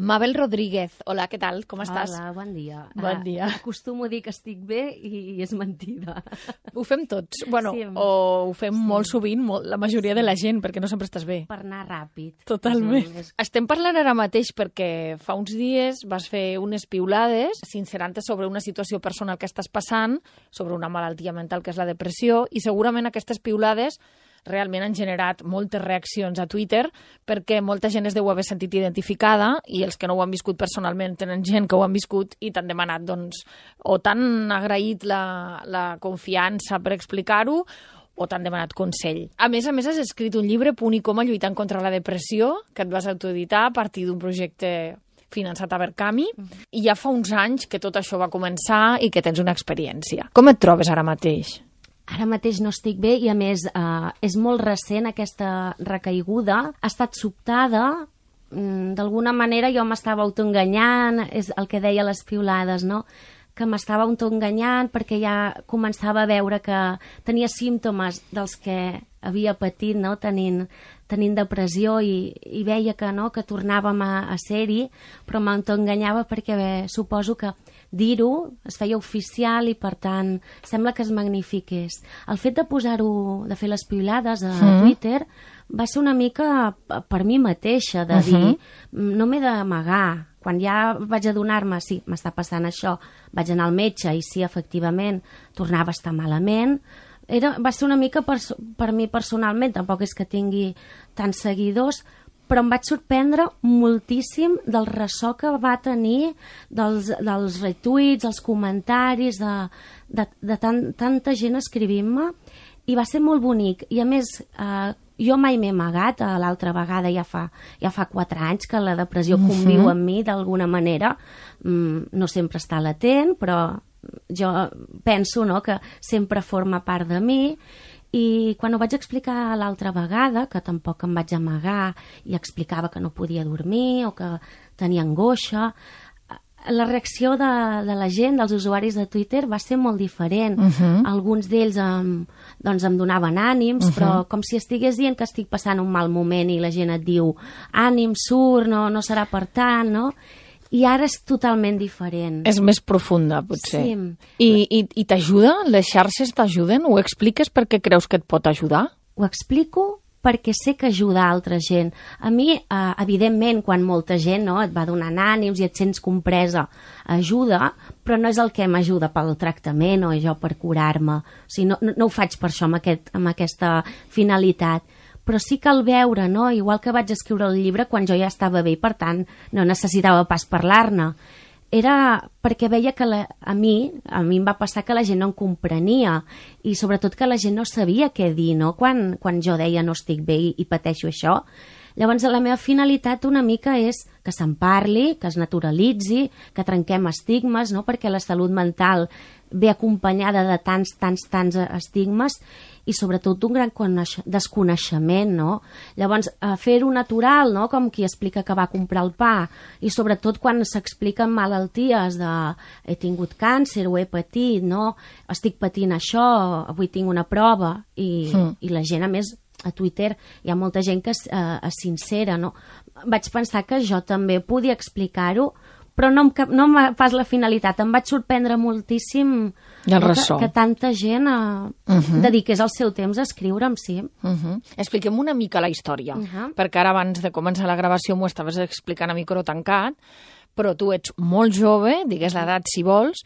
Mabel Rodríguez, hola, què tal? Com estàs? Hola, bon dia. Bon dia. Acostumo a dir que estic bé i és mentida. Ho fem tots, bueno, Sí. o ho fem molt sovint, la majoria de la gent, perquè no sempre estàs bé. Per anar ràpid. Totalment. Estem parlant ara mateix perquè fa uns dies vas fer unes piulades sincerant-te sobre una situació personal que estàs passant, sobre una malaltia mental que és la depressió, i segurament aquestes piulades realment han generat moltes reaccions a Twitter perquè molta gent es deu haver sentit identificada i els que no ho han viscut personalment tenen gent que ho han viscut i t'han demanat, doncs, o t'han agraït la confiança per explicar-ho o t'han demanat consell. A més, has escrit un llibre, Punt i coma lluitant contra la depressió, que et vas autoeditar a partir d'un projecte finançat a Verkami, i ja fa uns anys que tot això va començar i que tens una experiència. Com et trobes ara mateix? Ara mateix no estic bé i, a més, és molt recent aquesta recaiguda. Ha estat sobtada. D'alguna manera jo m'estava autoenganyant, és el que deia les piulades, no? Que m'estava autoenganyant perquè ja començava a veure que tenia símptomes dels que havia patit, no? tenint depressió i veia que, no? que tornàvem a ser-hi, però m'autoenganyava perquè suposo que dir-ho es feia oficial i, per tant, sembla que es magnifiqués. El fet de posar-ho, de fer les piulades a Twitter, va ser una mica per mi mateixa, de dir, no m'he d'amagar. Quan ja vaig adonar-me, sí, m'està passant això, vaig anar al metge i sí, efectivament, tornava a estar malament. Va ser una mica per mi personalment, tampoc és que tingui tants seguidors, però em vaig sorprendre moltíssim del ressò que va tenir, dels retuits, els comentaris, de tanta gent escrivint-me, i va ser molt bonic. I a més, jo mai m'he amagat, l'altra vegada ja fa 4 anys que la depressió conviu amb mi d'alguna manera, no sempre està latent, però jo penso, no, que sempre forma part de mi. I quan ho vaig explicar l'altra vegada, que tampoc em vaig amagar i explicava que no podia dormir o que tenia angoixa, la reacció de la gent, dels usuaris de Twitter, va ser molt diferent. Alguns d'ells em donaven ànims, però com si estigués dient que estic passant un mal moment i la gent et diu ànim, surt, no serà per tant, no? I ara és totalment diferent. És més profunda, potser. Sí. I t'ajuda? Les xarxes t'ajuden? Ho expliques perquè creus que et pot ajudar? Ho explico perquè sé que ajuda a altra gent. A mi, evidentment, quan molta gent et va donant ànims i et sents compresa, ajuda, però no és el que m'ajuda pel tractament o jo per curar-me. O sigui, no ho faig per això, amb aquesta finalitat. Però sí que al veure, no? Igual que vaig escriure el llibre quan jo ja estava bé, per tant, no necessitava pas parlar-ne. Era perquè veia que a mi em va passar que la gent no em comprenia i sobretot que la gent no sabia què dir, no? Quan jo deia no estic bé i pateixo això. Llavors, la meva finalitat una mica és que se'n parli, que es naturalitzi, que trenquem estigmes, no? Perquè la salut mental ve acompanyada de tants estigmes i sobretot d'un gran desconeixement, no? Llavors, fer-ho natural, no? Com qui explica que va comprar el pa, i sobretot quan s'expliquen malalties de he tingut càncer o he patit, no? Estic patint això, avui tinc una prova, i la gent, a més, a Twitter hi ha molta gent que és sincera, no? Vaig pensar que jo també podia explicar-ho, però no pas la finalitat. Em vaig sorprendre moltíssim que tanta gent dediqués el seu temps a escriure'm, sí. Expliquem una mica la història, perquè ara abans de començar la gravació m'ho estaves explicant a micro tancat, però tu ets molt jove, digues l'edat si vols,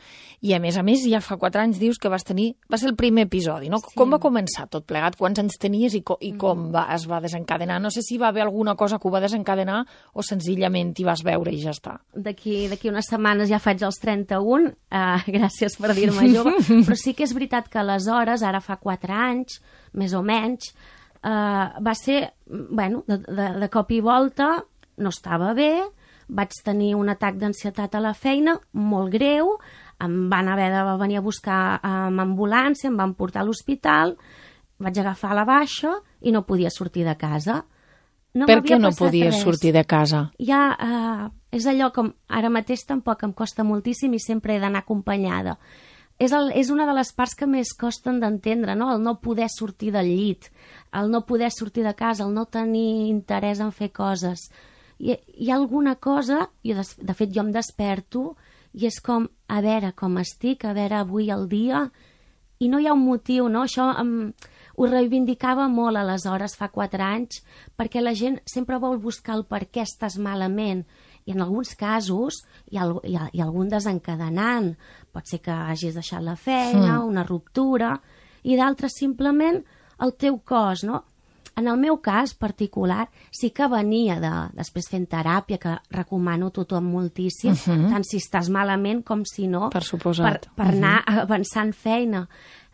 i a més ja fa 4 anys dius que va ser el primer episodi, no? Sí. Com va començar tot plegat? Quants anys tenies i com es va desencadenar? No sé si va haver alguna cosa que ho va desencadenar o senzillament t'hi vas veure i ja està. D'aquí unes setmanes ja faig els 31, gràcies per dir-me jove, però sí que és veritat que aleshores, ara fa 4 anys, més o menys, va ser, de cop i volta, no estava bé, vaig tenir un atac d'ansietat a la feina, molt greu, em van haver de venir a buscar amb ambulància, em van portar a l'hospital, vaig agafar la baixa i no podia sortir de casa. Per què no podies sortir de casa? Ja, és allò com ara mateix tampoc em costa moltíssim i sempre he d'anar acompanyada. És una de les parts que més costen d'entendre, no? El no poder sortir del llit, el no poder sortir de casa, el no tenir interès en fer coses. hi ha alguna cosa, de fet jo em desperto i és com, a veure com estic, a veure avui el dia, i no hi ha un motiu, no? Això ho reivindicava molt aleshores, fa 4 anys, perquè la gent sempre vol buscar el per què estàs malament, i en alguns casos hi ha algun desencadenant. Pot ser que hagis deixat la feina, una ruptura, i d'altres simplement el teu cos, no? En el meu cas particular sí que venia després fent teràpia, que recomano a tothom moltíssim, tant si estàs malament com si no, per suposat, per anar avançant feina.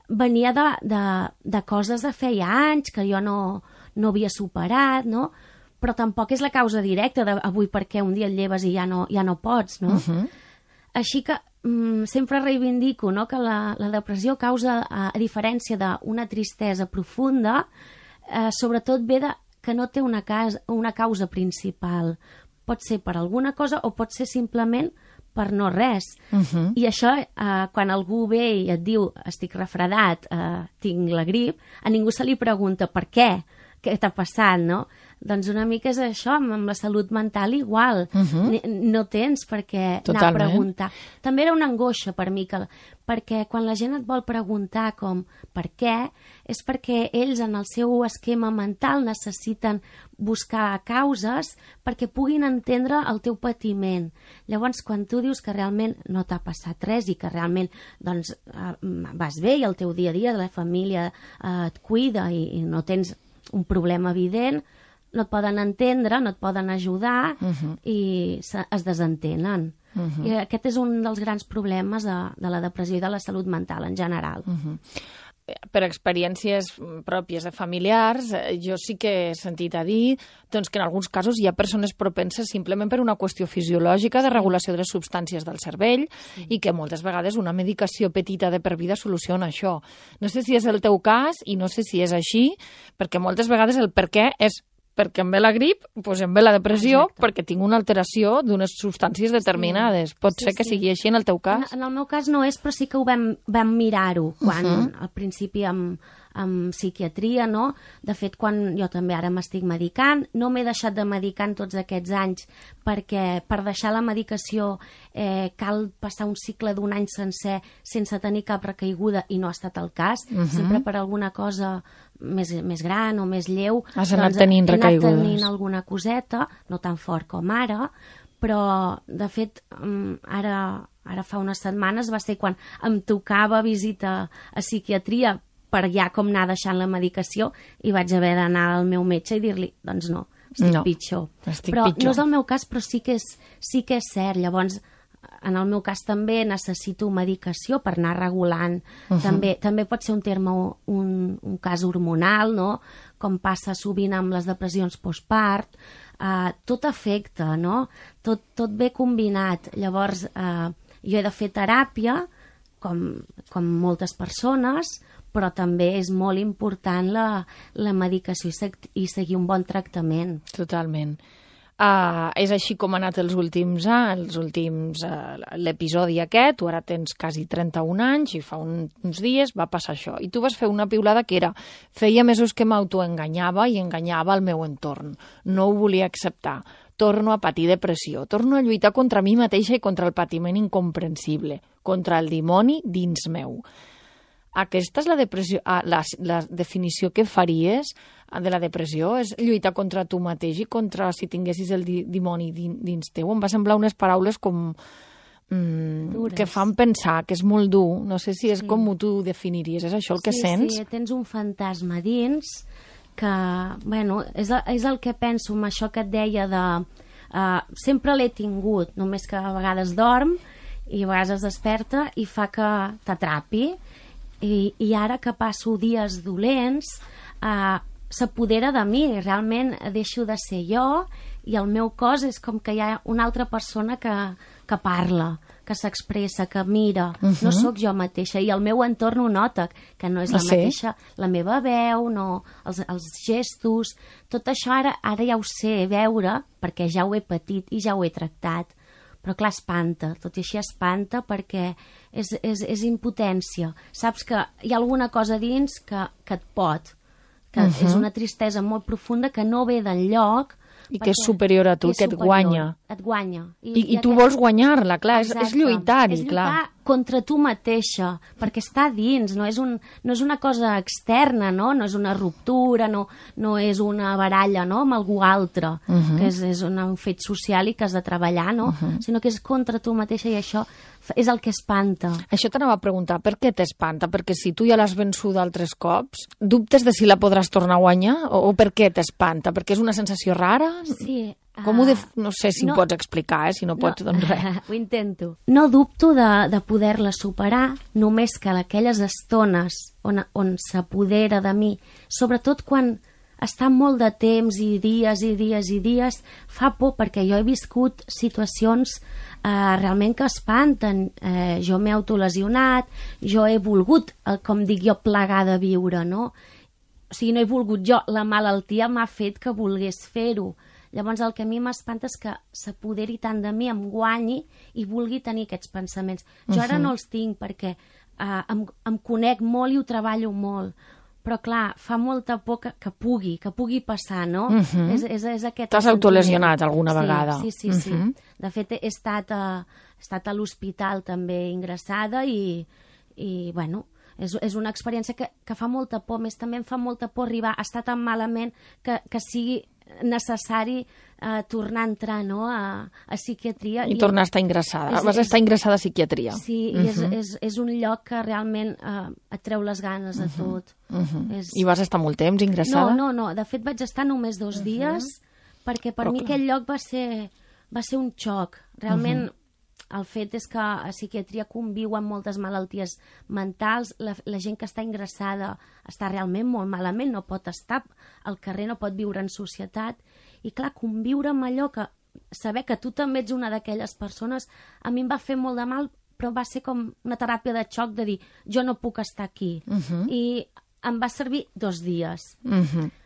Venia de coses de feia anys que jo no havia superat, no? Però tampoc és la causa directa d'avui perquè un dia et lleves i ja no pots, no? Així que sempre reivindico, no, que la depressió causa, a diferència d'una tristesa profunda, sobretot ve que no té una causa principal. Pot ser per alguna cosa o pot ser simplement per no res. I això, quan algú ve i et diu estic refredat, tinc la grip, a ningú se li pregunta per què t'ha passat, no? Doncs una mica és això, amb la salut mental igual. No tens per què anar a preguntar. També era una angoixa per mi, perquè quan la gent et vol preguntar com per què, és perquè ells en el seu esquema mental necessiten buscar causes perquè puguin entendre el teu patiment. Llavors, quan tu dius que realment no t'ha passat res i que realment doncs, vas bé i el teu dia a dia, la família et cuida i no tens un problema evident, no et poden entendre, no et poden ajudar i es desentenen. I aquest és un dels grans problemes de la depressió i de la salut mental en general. Per experiències pròpies de familiars, jo sí que he sentit a dir doncs, que en alguns casos hi ha persones propenses simplement per una qüestió fisiològica de regulació de les substàncies del cervell i que moltes vegades una medicació petita de per vida soluciona això. No sé si és el teu cas i no sé si és així, perquè moltes vegades el per què és perquè em ve la grip, doncs em ve la depressió, perquè tinc una alteració d'unes substàncies determinades. Pot ser que sigui així en el teu cas? En el meu cas no és, però sí que ho vam mirar-ho quan al principi amb psiquiatria, no? De fet, quan jo també ara m'estic medicant, no m'he deixat de medicar en tots aquests anys perquè per deixar la medicació cal passar un cicle d'un any sencer sense tenir cap recaiguda i no ha estat el cas. Sempre per alguna cosa més gran o més lleu has anat tenint recaigudes. He anat tenint alguna coseta, no tan fort com ara, però de fet ara fa unes setmanes va ser quan em tocava visita a psiquiatria per ja com anar deixant la medicació i vaig haver d'anar al meu metge i dir-li, doncs no, estic pitjor. No és el meu cas, però sí que és cert. Llavors, en el meu cas també necessito medicació per anar regulant. També pot ser un terme, un cas hormonal, no? Com passa sovint amb les depressions postpart. Tot afecta, no? Tot ve combinat. Llavors, jo he de fer teràpia, com moltes persones, però també és molt important la medicació i seguir un bon tractament. Totalment. És així com ha anat els últims l'episodi aquest, tu ara tens quasi 31 anys i fa uns dies va passar això. I tu vas fer una piulada que era, feia mesos que m'autoenganyava i enganyava el meu entorn. No ho volia acceptar. Torno a patir depressió. Torno a lluitar contra mi mateixa i contra el patiment incomprensible, contra el dimoni dins meu. Aquesta és la definició que faries de la depressió? És lluitar contra tu mateix i contra si tinguessis el dimoni dins teu? Em va semblar unes paraules com que fan pensar, que és molt dur. No sé si és com tu ho definiries. És això el que sents? Sí, tens un fantasma dins que, bueno, és el que penso amb això que et deia de... sempre l'he tingut, només que a vegades dorm i a vegades es desperta i fa que t'atrapi. I ara que passo dies dolents s'apodera de mi, realment deixo de ser jo i el meu cos és com que hi ha una altra persona que parla, que s'expressa, que mira. No sóc jo mateixa i el meu entorn ho nota, que no és la mateixa, la meva veu, no, els gestos, tot això ara ja ho sé veure perquè ja ho he patit i ja ho he tractat. Però clar, espanta, tot i així espanta perquè és impotència. Saps que hi ha alguna cosa dins que et pot, que és una tristesa molt profunda que no ve d'enlloc, I que és superior a tu, que et guanya. Et guanya. I tu vols guanyar-la, clar, és lluitar-hi, és clar. lluitar contra tu mateixa, perquè està dins, no és una cosa externa, no és una ruptura, no és una baralla, no?, amb algú altre, que és un fet social i que has de treballar, no?, sinó que és contra tu mateixa, i això és el que espanta. Això t'anava a preguntar, per què t'espanta? Perquè si tu ja l'has vençuda altres cops, dubtes de si la podràs tornar a guanyar? O per què t'espanta? Perquè és una sensació rara? Sí. No sé si ho pots explicar, si no pots, doncs res. Ho intento. No dubto de poder-la superar, només que aquelles estones on s'apodera de mi, sobretot quan està molt de temps i dies, fa por, perquè jo he viscut situacions realment que espanten. Jo m'he autolesionat, jo he volgut, com dic jo, plegar de viure, no? O sigui, no he volgut jo, la malaltia m'ha fet que volgués fer-ho. Llavors el que a mi m'espanta és que s'apoderi tant de mi, em guanyi i vulgui tenir aquests pensaments. Jo ara no els tinc perquè em conec molt i ho treballo molt, però clar, fa molta por que pugui passar, no? És aquest... T'has autolesionat alguna vegada? Sí. De fet, he estat a l'hospital també ingressada i bueno, és una experiència que fa molta por. Més també em fa molta por arribar a estar tan malament que sigui necessari tornar a entrar, no?, a psiquiatria. I tornar a estar ingressada. Vas estar ingressada a psiquiatria. Sí, i és un lloc que realment et treu les ganes a tot. I vas estar molt temps ingressada? No. De fet, vaig estar només 2 dies, perquè per mi aquell lloc va ser un xoc. Realment, el fet és que a psiquiatria conviu amb moltes malalties mentals, la gent que està ingressada està realment molt malament, no pot estar al carrer, no pot viure en societat, i clar, conviure amb allò que saber que tu també ets una d'aquelles persones, a mi em va fer molt de mal, però va ser com una teràpia de xoc de dir, jo no puc estar aquí. I em va servir 2 dies.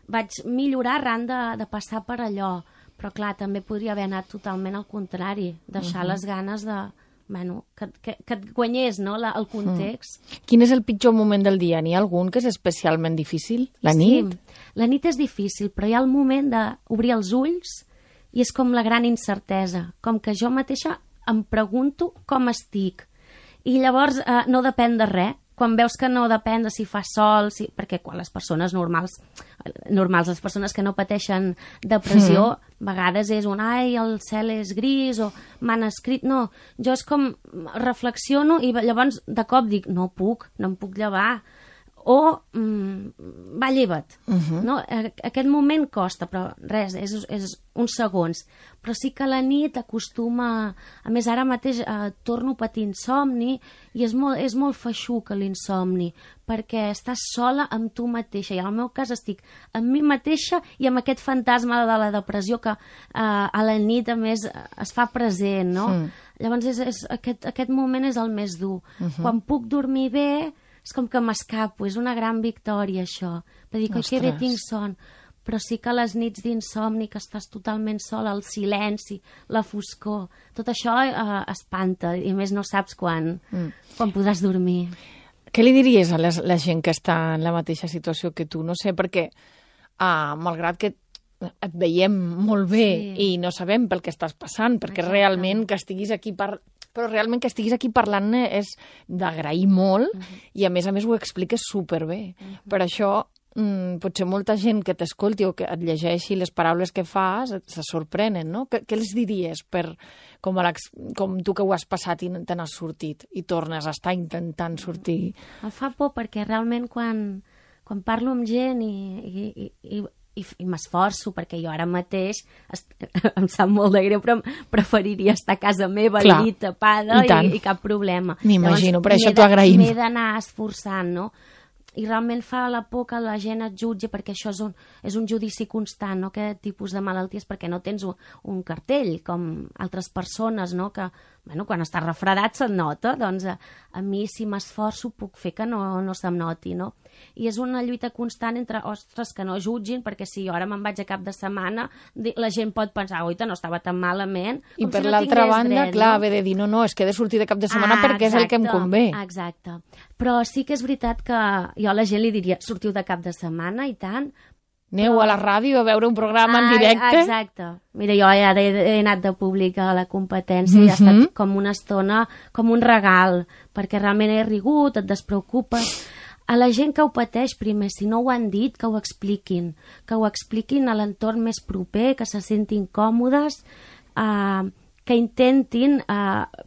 Vaig millorar arran de passar per allò, però clar, també podria haver anat totalment al contrari, deixar les ganes de... Bueno, que et guanyés, no?, el context. Quin és el pitjor moment del dia? N'hi ha algun que és especialment difícil? La nit? Sí, la nit és difícil, però hi ha el moment d'obrir els ulls i és com la gran incertesa, com que jo mateixa em pregunto com estic. I llavors no depèn de res. Quan veus que no depèn de si fa sol, perquè quan les persones normals, les persones que no pateixen depressió, a vegades és ai, el cel és gris, o m'han escrit... No, jo és com reflexiono i llavors de cop dic, no em puc llevar. O, va, lleva't. No? Aquest moment costa, però res, és uns segons. Però sí que la nit acostuma... A més, ara mateix torno a patir insomni i és molt feixuc l'insomni, perquè estàs sola amb tu mateixa. I en el meu cas estic amb mi mateixa i amb aquest fantasma de la depressió que a la nit, a més, es fa present, no? Llavors, aquest moment és el més dur. Quan puc dormir bé, és com que m'escapo, és una gran victòria, això. De dir que bé tinc son. Però sí que les nits d'insomni, que estàs totalment sola, el silenci, la foscor, tot això espanta, i més no saps quan podràs dormir. Què li diries a la gent que està en la mateixa situació que tu? No sé, perquè malgrat que et veiem molt bé i no sabem pel que estàs passant, perquè realment que estiguis aquí però realment que estiguis aquí parlant és d'agrair molt i a més ho expliques superbé. Per això potser molta gent que t'escolti o que et llegeixi les paraules que fas se sorprenen, no? Què els diries com tu que ho has passat i te n'has sortit i tornes a estar intentant sortir? Em fa por perquè realment quan parlo amb gent i m'esforço, perquè jo ara mateix em sap molt de greu, però preferiria estar a casa meva, al llit, tapada i cap problema. M'imagino, per això t'ho agraïm. M'he d'anar esforçant, no? I realment fa la por que la gent et jutgi, perquè això és un judici constant, no? Aquest tipus de malalties, perquè no tens un cartell com altres persones, no? Que quan estàs refredat se't nota, doncs a mi si m'esforço puc fer que no se'm noti, no? I és una lluita constant entre, ostres, que no jutgin, perquè si jo ara me'n vaig a cap de setmana, la gent pot pensar, oita, no estava tan malament. I per l'altra banda, clar, haver de dir, no, és que he de sortir de cap de setmana perquè és el que em convé. Exacte. Però sí que és veritat que jo a la gent li diria, sortiu de cap de setmana i tant. Aneu a la ràdio a veure un programa en directe. Exacte. Mira, jo ara he anat de públic a la competència i ha estat com una estona, com un regal, perquè realment he rigut, et despreocupes. A la gent que ho pateix, primer, si no ho han dit, que ho expliquin a l'entorn més proper, que se sentin còmodes, que intentin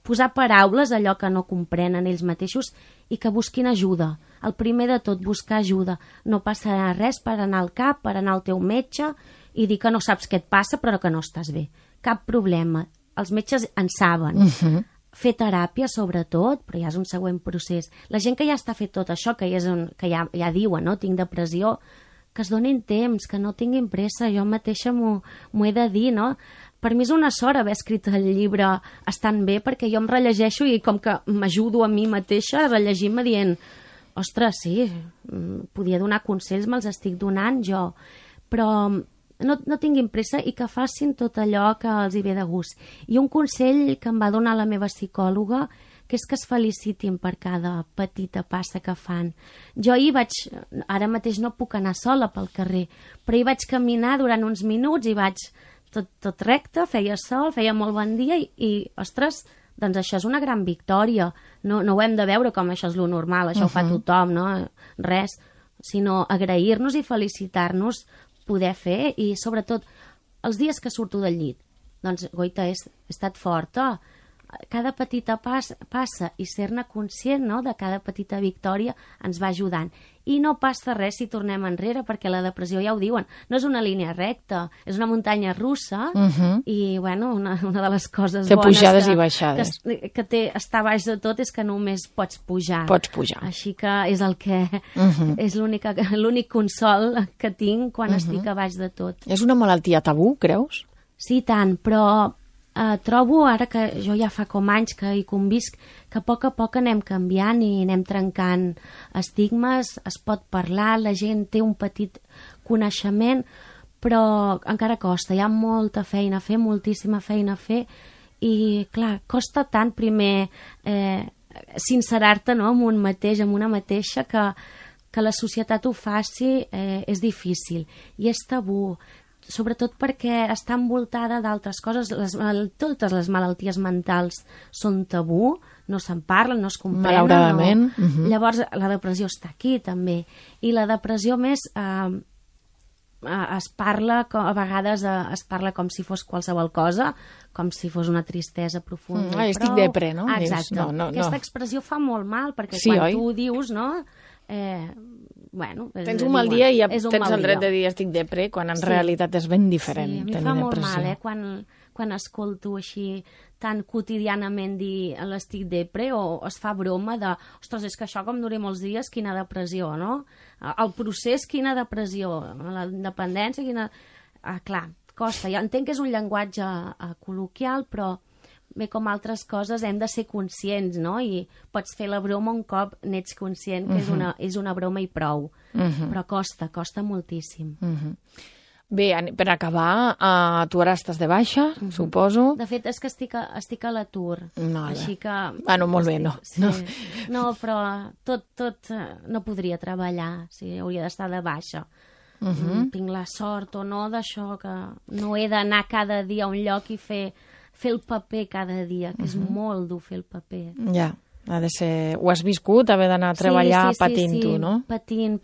posar paraules a allò que no comprenen ells mateixos i que busquin ajuda. El primer de tot, buscar ajuda. No passarà res per anar al CAP, per anar al teu metge i dir que no saps què et passa però que no estàs bé. Cap problema. Els metges en saben. Fer teràpia, sobretot, però ja és un següent procés. La gent que ja està fet tot això, que ja diuen, no? Tinc depressió, que es donin temps, que no tinguin pressa. Jo mateixa m'ho he de dir, no? Per mi és una sort haver escrit el llibre estant bé, perquè jo em rellegeixo i com que m'ajudo a mi mateixa rellegint-me dient ostres, sí, podia donar consells, me'ls estic donant jo, però no tinguin pressa i que facin tot allò que els hi ve de gust. I un consell que em va donar la meva psicòloga, que és que es felicitin per cada petita passa que fan. Jo ara mateix no puc anar sola pel carrer, però hi vaig caminar durant uns minuts i vaig tot recte, feia sol, feia molt bon dia i ostres, doncs això és una gran victòria. No ho hem de veure com això és lo normal, això ho fa tothom, no? Res, sinó agrair-nos i felicitar-nos poder fer i sobretot els dies que surto del llit. Doncs, goita, he estat forta. Cada petita passa i ser-ne conscient, no?, de cada petita victòria ens va ajudant. I no passa res si tornem enrere, perquè la depressió, ja ho diuen, no és una línia recta, és una muntanya russa i, bueno, una de les coses bones pujades i baixades. Que té estar baix de tot és que només pots pujar. Pots pujar. Així que és el que és l'únic consol que tinc quan estic a baix de tot. És una malaltia tabú, creus? Sí, tant, però trobo, ara que jo ja fa com anys que hi convisc, que a poc anem canviant i anem trencant estigmes, es pot parlar, la gent té un petit coneixement, però encara costa, hi ha molta feina a fer, moltíssima feina a fer, i clar, costa tant primer sincerar-te, no?, amb un mateix, amb una mateixa, que la societat ho faci és difícil, i és tabú, sobretot perquè està envoltada d'altres coses. Totes les malalties mentals són tabú, no se'n parlen, no es comprenen. Malauradament. Llavors, la depressió està aquí, també. I la depressió, més, es parla, a vegades es parla com si fos qualsevol cosa, com si fos una tristesa profunda. Estic depre, no? Exacte. Aquesta expressió fa molt mal, perquè quan tu ho dius, no? Tens un mal dia i ja tens el dret de dir estic depre, quan en realitat és ben diferent tenir depressió. Sí, a mi fa molt mal, quan escolto així tan quotidianament dir l'estic depre, o es fa broma de, ostres, és que això com duri molts dies, quina depressió, no? El procés, quina depressió, la independència, quina... Clar, costa. Jo entenc que és un llenguatge col·loquial, però bé, com altres coses, hem de ser conscients, no? I pots fer la broma un cop n'ets conscient que és una broma i prou. Però costa moltíssim. Bé, per acabar, tu ara estàs de baixa, suposo. De fet, és que estic a l'atur. Així que... Molt bé, no. No, però tot no podria treballar, hauria d'estar de baixa. Tinc la sort o no d'això, que no he d'anar cada dia a un lloc i fer el paper cada dia, que és molt dur fer el paper. Ja, ha de ser... Ho has viscut, haver d'anar a treballar patint tu, no? Patint,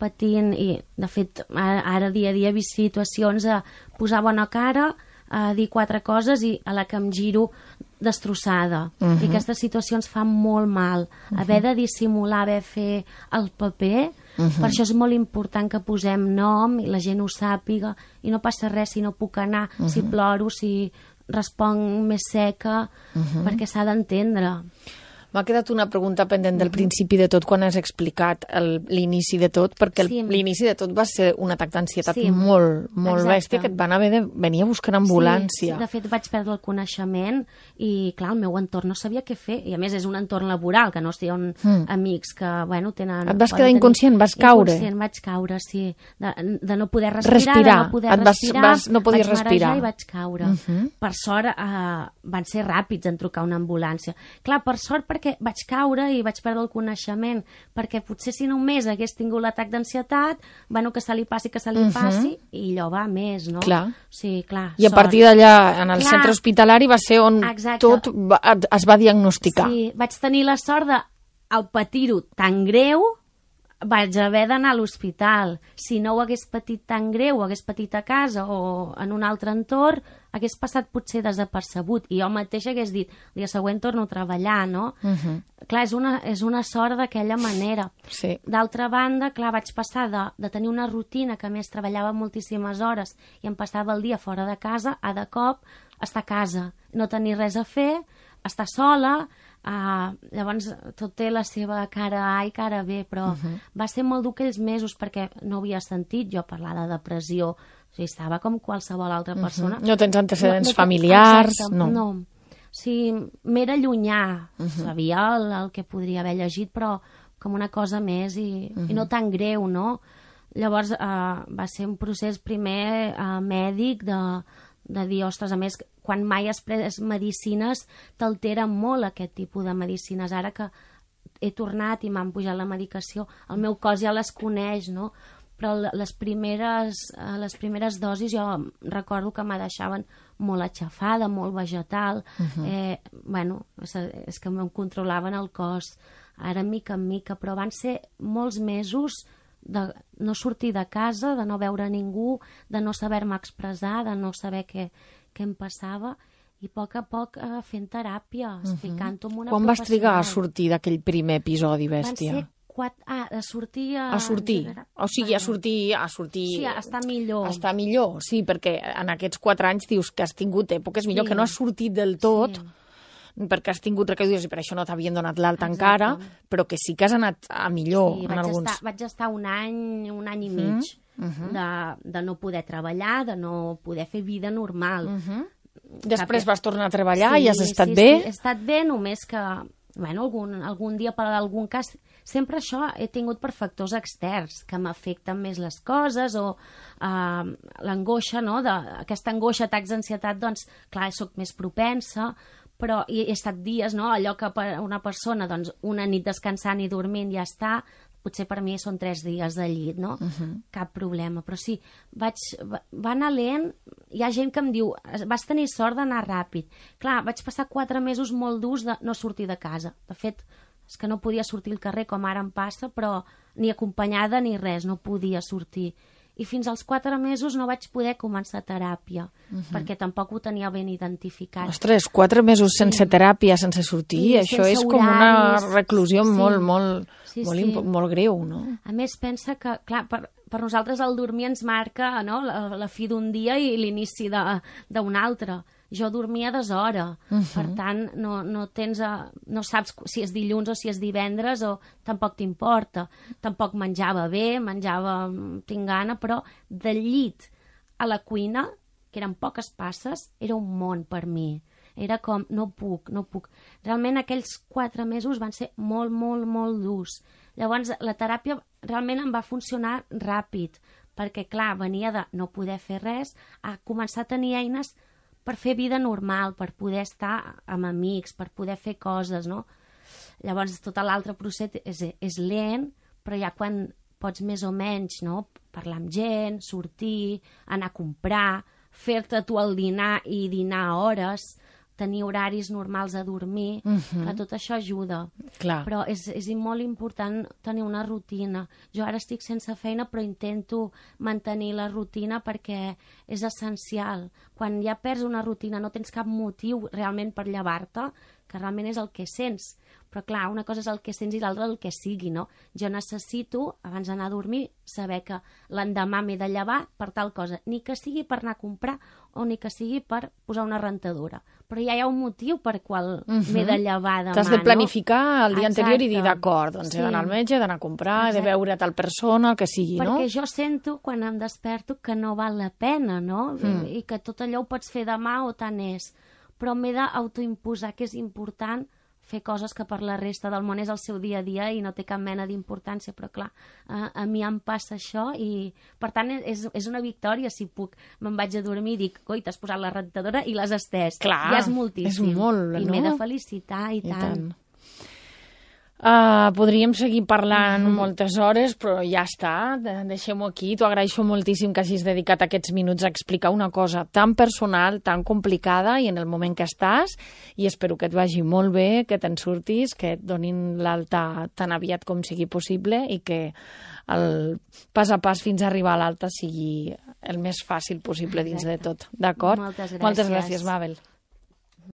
i de fet ara dia a dia he vist situacions a posar bona cara, a dir 4 coses i a la que em giro destrossada. I aquestes situacions fan molt mal. Haver de dissimular, haver de fer el paper, per això és molt important que posem nom i la gent ho sàpiga, i no passa res si no puc anar, si ploro, si responc més seca, perquè s'ha d'entendre. M'ha quedat una pregunta pendent del principi de tot, quan has explicat l'inici de tot, perquè l'inici de tot va ser un atac d'ansietat molt bèstia, que et van haver de venir a buscar ambulància. Sí, de fet vaig perdre el coneixement i, clar, el meu entorn no sabia què fer, i a més és un entorn laboral, que no estiguin amics que, bueno, tenen... Et vas quedar inconscient, vas caure? Inconscient, vaig caure, sí, de no poder respirar, de no poder respirar, no podies respirar i vaig caure. Per sort van ser ràpids en trucar una ambulància. Clar, per sort, perquè que vaig caure i vaig perdre el coneixement, perquè potser si només hagués tingut l'atac d'ansietat, bueno, que se li passi, i allò va més, no? Clar. Sí, clar. I a partir d'allà, en el centre hospitalari, va ser on tot es va diagnosticar. Sí, vaig tenir la sort de, al patir-ho tan greu, vaig haver d'anar a l'hospital. Si no ho hagués patit tan greu, ho hagués patit a casa o en un altre entorn, hagués passat potser desapercebut. I jo mateix hagués dit, el dia següent torno a treballar, no? Clar, és una sort d'aquella manera. Sí. D'altra banda, clar, vaig passar de tenir una rutina que a més treballava moltíssimes hores i em passava el dia fora de casa a de cop estar a casa, no tenir res a fer, estar sola. Llavors tot té la seva cara A i cara B, però va ser molt dur aquells mesos perquè no havia sentit jo parlar de depressió. O sigui, estava com qualsevol altra persona. No tens antecedents familiars? Exacte, no. O sigui, m'era llunyà, sabia el que podria haver llegit, però com una cosa més i no tan greu, no? Llavors va ser un procés primer mèdic de dir, ostres, a més, quan mai has pres medicines t'altera molt aquest tipus de medicines. Ara que he tornat i m'han pujat la medicació, el meu cos ja les coneix, no? Però les primeres dosis jo recordo que me deixaven molt aixafada, molt vegetal. Bueno, és que em controlaven el cos, ara mica en mica, però van ser molts mesos de no sortir de casa, de no veure ningú, de no saber-me expressar, de no saber què em passava, i a poc fent teràpia, explicant-ho amb una professional. Quan vas trigar a sortir d'aquell primer episodi, bèstia? Van ser a sortir... A sortir. O sigui, a sortir... Sí, a estar millor. A estar millor, sí, perquè en aquests 4 anys dius que has tingut èpoques millor, que no has sortit del tot, perquè has tingut recaigudes i per això no t'havien donat l'alta encara, però que sí que has anat a millor en alguns. Vaig estar un any i mig de no poder treballar, de no poder fer vida normal. Després vas tornar a treballar i has estat bé? Sí, he estat bé, només que bueno, algun dia per algun cas, sempre això he tingut per factors externs que m'afecten més les coses o l'angoixa, no? Aquesta angoixa, atacs d'ansietat, doncs clar, sóc més propensa, però he estat dies, no? Allò que per una persona, doncs, una nit descansant i dormint ja està, potser per mi són 3 dies de llit, no? Cap problema, però sí, va anar lent. Hi ha gent que em diu, vas tenir sort d'anar ràpid. Clar, vaig passar 4 mesos molt durs de no sortir de casa. De fet, és que no podia sortir al carrer com ara em passa, però ni acompanyada ni res, no podia sortir. I fins als 4 mesos no vaig poder començar teràpia, perquè tampoc ho tenia ben identificat. Ostres, 4 mesos sense teràpia, sense sortir, això és com una reclusió molt greu, no? A més, pensa que, clar, per nosaltres el dormir ens marca, no?, la fi d'un dia i l'inici d'un altre. Jo dormia d'hora, per tant, no saps si és dilluns o si és divendres, o tampoc t'importa. Tampoc menjava bé, tinc gana, però del llit a la cuina, que eren poques passes, era un món per mi. Era com, no puc. Realment aquells 4 mesos van ser molt, molt, molt durs. Llavors, la teràpia realment em va funcionar ràpid, perquè, clar, venia de no poder fer res a començar a tenir eines per fer vida normal, per poder estar amb amics, per poder fer coses, no? Llavors, tot l'altre procés és lent, però ja quan pots més o menys, no?, parlar amb gent, sortir, anar a comprar, fer-te tu el dinar i dinar a hores, tenir horaris normals a dormir, tot això ajuda. Clar. Però és molt important tenir una rutina. Jo ara estic sense feina, però intento mantenir la rutina perquè és essencial. Quan ja perds una rutina, no tens cap motiu realment per llevar-te, que realment és el que sents. Però clar, una cosa és el que sents i l'altra el que sigui, no? Jo necessito, abans d'anar a dormir, saber que l'endemà m'he de llevar per tal cosa, ni que sigui per anar a comprar o ni que sigui per posar una rentadora. Però ja hi ha un motiu per qual m'he de llevar demà, no? T'has de planificar el dia anterior i dir, d'acord, doncs he d'anar al metge, he d'anar a comprar, he de veure tal persona, el que sigui, no? Perquè jo sento, quan em desperto, que no val la pena, no? I que tot allò ho pots fer demà o tant és. Però m'he d'autoimposar que és important fer coses que per la resta del món és el seu dia a dia i no té cap mena d'importància, però clar, a mi em passa això i per tant és una victòria si puc, me'n vaig a dormir i dic, coi, t'has posat la rentadora i l'has estès. Clar, ja és moltíssim. És molt, no? I m'he de felicitar i tant. Podríem seguir parlant moltes hores, però ja està, deixem-ho aquí. T'ho agraeixo moltíssim que hagis dedicat aquests minuts a explicar una cosa tan personal, tan complicada i en el moment que estàs, i espero que et vagi molt bé, que te'n surtis, que et donin l'alta tan aviat com sigui possible i que el pas a pas fins a arribar a l'alta sigui el més fàcil possible dins de tot. D'acord? Moltes gràcies. Moltes gràcies, Mabel.